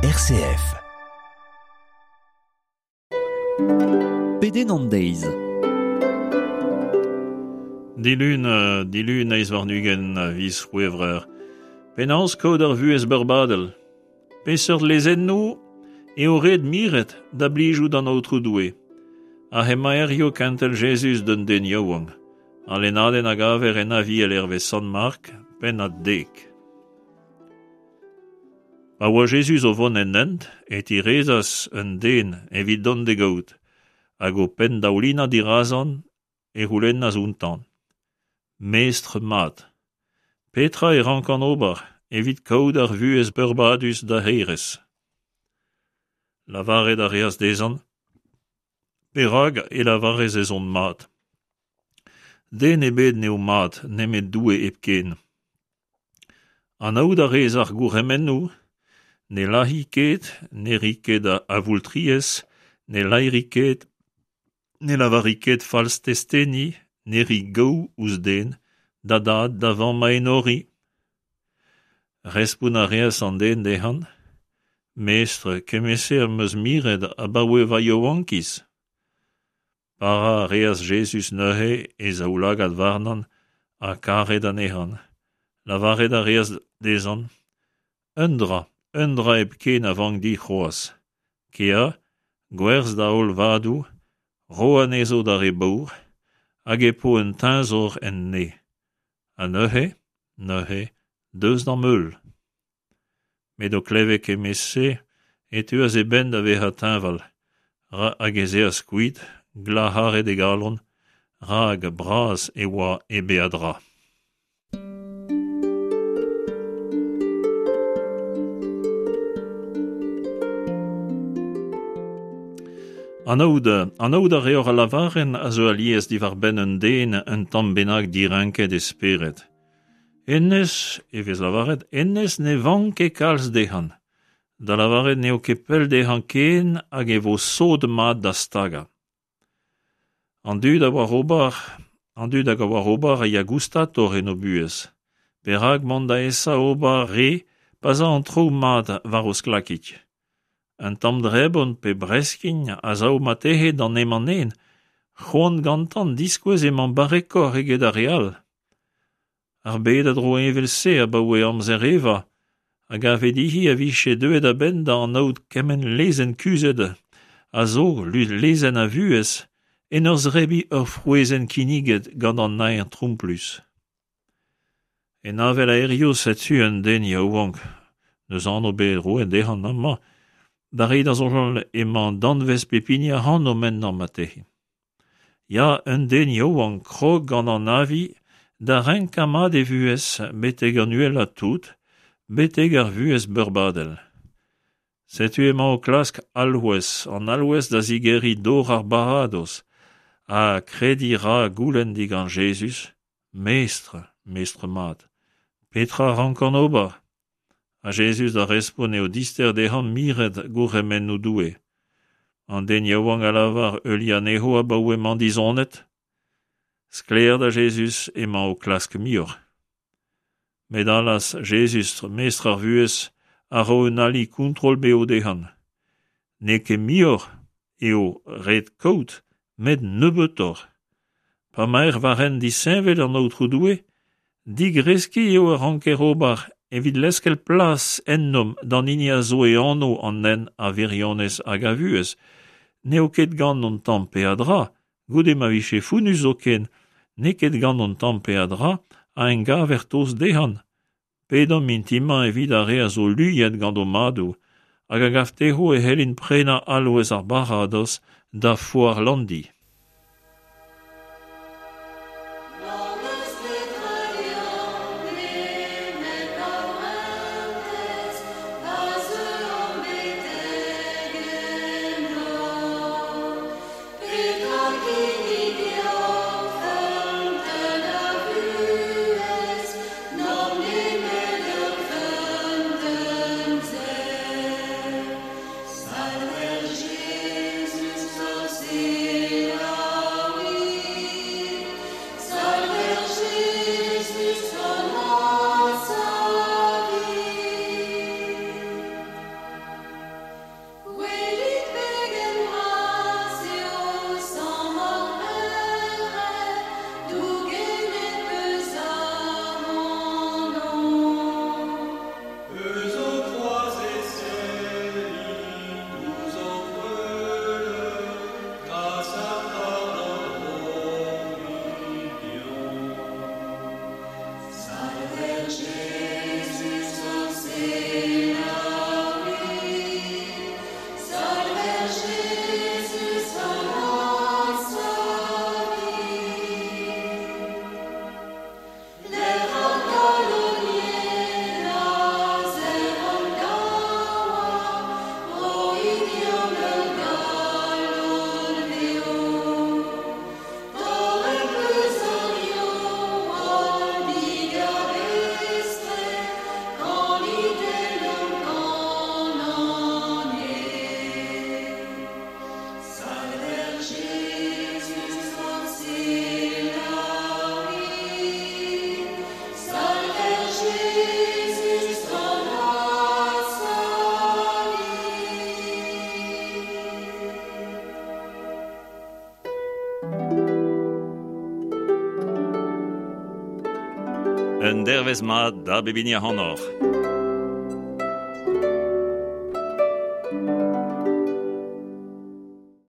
RCF. Pedenn an deiz. Dilun, dilun eizh warn-ugent a viz C'hwevrer. Penaos kaout ar vuhez beurbadel? Peseurt lezennoù eo ret miret da blijout d'an Aotrou Doue? Ha hemañ hiziv kentel Jezuz d'un den yaouank. Al lennadenn a gaver en Aviel hervez Sant Mark, pennad dek. Pa oa Jezuz o vont en hent e tirezas un den evit dont d'e gaout, hag o penndaoulinañ dirazan e c'houlennas outañ: Mestr mat, petra e rankan ober evit kaout ar vuhez peurbadus da hêrezh? Lavaret a reas dezhañ: Perak e lavarez ez on mat? Den ebet n'eo mat nemet Doue hepken. Anaout a rez ar gourc'hemennoù, ne lazhi ket, ne ri ket avoultriezh, ne laeri ket, ne lavari ket falstesteni, ne ri gaou ouzh den, da dad, da vamm a enori. Respont a reas an den dezhañ: Mestr, kement-se am eus miret abaoe va yaouankiz. Parañ a reas Jezuz neuze e zaoulagad warnañ ha karet anezhañ. Lavaret a reas dezhañ: Un dra, un dra hepken a vank dit c'hoazh. Kea, gwerzh da holl vadoù, ro anezho d'ar re baour, hag e po un teñzor en neñv. Ha neuze, neuze, deus d'am heul. Met o klevet kement-se e teuas e benn da vezañ teñval, hag ez eas kuit, glac'haret e galon, rak bras e oa e beadra. Anaout, anaout a reoc'h al lavarenn a zeu alies diwar-benn un den un tamm bennak direnket e spered. Hennezh, e vez lavaret, hennezh ne vank ket kalz dezhañ. Da lavaret n'eo ket pell dezhañ ken hag e vo sot-mat da stagañ. An dud a oar ober, an dud hag a oar ober a ya goustatoc'h en o buhez. Perak mont da esa ober re pa 'z a an traoù mat war o sklakig? Un tamm drebon pe breskin a sav marteze d'an emañ-nen, c'hoant gantañ diskouez emañ barrekoc'h eget ar re all. Ar bed a dro evel-se abaoe amzer Eva, a gave dezhi a vije deuet a-benn da anaout kement lezenn kuzhet a zo lezenn a vuhez en ur zebriñ ur frouezhenn kinniget gant an naer tromplus. En avel a hiziv setu un den yaouank, n'eus anv bet roet dezhañ amañ, da reiñ da soñjal emañ danvez pep hini ac'hanomp ennañ marteze. Ya, un den yaouank krog gant an avi da renkañ mat e vuhez betek an uhelañ tout, betek ar vuhez beurbadel. Setu emañ o klask alc'hwez, an alc'hwez da zigeriñ dor ar baradoz, ha krediñ 'ra goulenn digant Jezuz, Mestr, mestr mat, petra a rankan ober? Ha Jezuz da respont eo dister dezhañ miret gourc'hemennoù Doue. An den yaouank a lavar heuliañ anezho abaoe emañ dizonet. Sklaer da Jezuz emañ o klask muioc'h. Met allaz, Jezuz, mestr ar vuhez, a ro un ali kontrol-bev dezhañ. N'eo ket muioc'h eo ret kaout, met nebeutoc'h. Pa 'maer war hent disheñvel an Aotrou Doue, digreskiñ eo a ranker ober evit leskel plas ennomp d'an hini a zo e anv an hent a wirionez hag a vuhez. N'eo ket gant hon tamm peadra, goude ma vije fonnus zoken, n'eo ket gant hon tamm peadra a engaver tost dezhañ. Pedomp mintin-mañ evit ar re a zo luiet gant o madoù hag a gav dezho e c'hellint prenañ alc'hwez ar baradoz da foar Landi. Un dervezh mat da bep hini ac'hanoc'h.